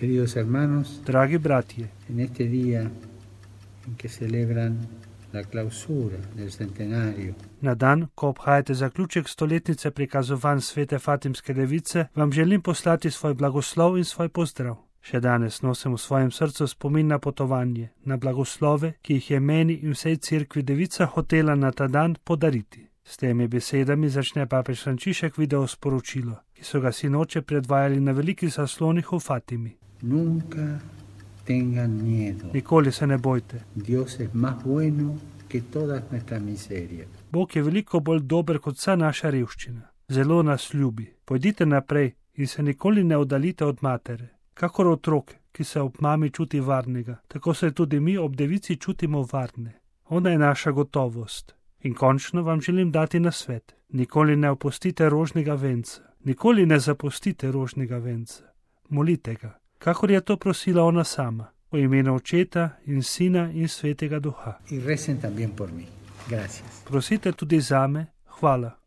Queridos hermanos, Dragi bratje, en este día en que celebran la clausura del centenario, na dan, ko obhajate zaključek stoletnice prikazovanj svete Fatimske device, vam želim poslati svoj blagoslov in svoj pozdrav. Še danes nosim v svojem srcu spomin na potovanje, na blagoslove, ki jih je meni in vsej cerkvi devica hotela na ta dan podariti. S temi besedami začne papež Frančišek video sporočilo, ki so ga sinoče predvajali na velikih zaslonih v Fatimi. nunca tengan miedo. Nikoli se ne bojte. Dios es más bueno que todas nuestras miserias. Bog je veliko bolj dober kot vsa naša revščina. Zelo nas ljubi. Pojdite naprej in se nikoli ne oddaljite od matere. Kakor otrok, ki se ob mami čuti varnega, tako se tudi mi ob devici čutimo varne. Ona je naša gotovost. In končno vam želim dati nasvet. Nikoli ne opustite rožnega venca. Nikoli ne zapustite rožnega venca. Molite ga, kakor je to prosila ona sama, v imenu Očeta in Sina in Svetega Duha. Y recen también por mí. Gracias. Prosite tudi zame, hvala.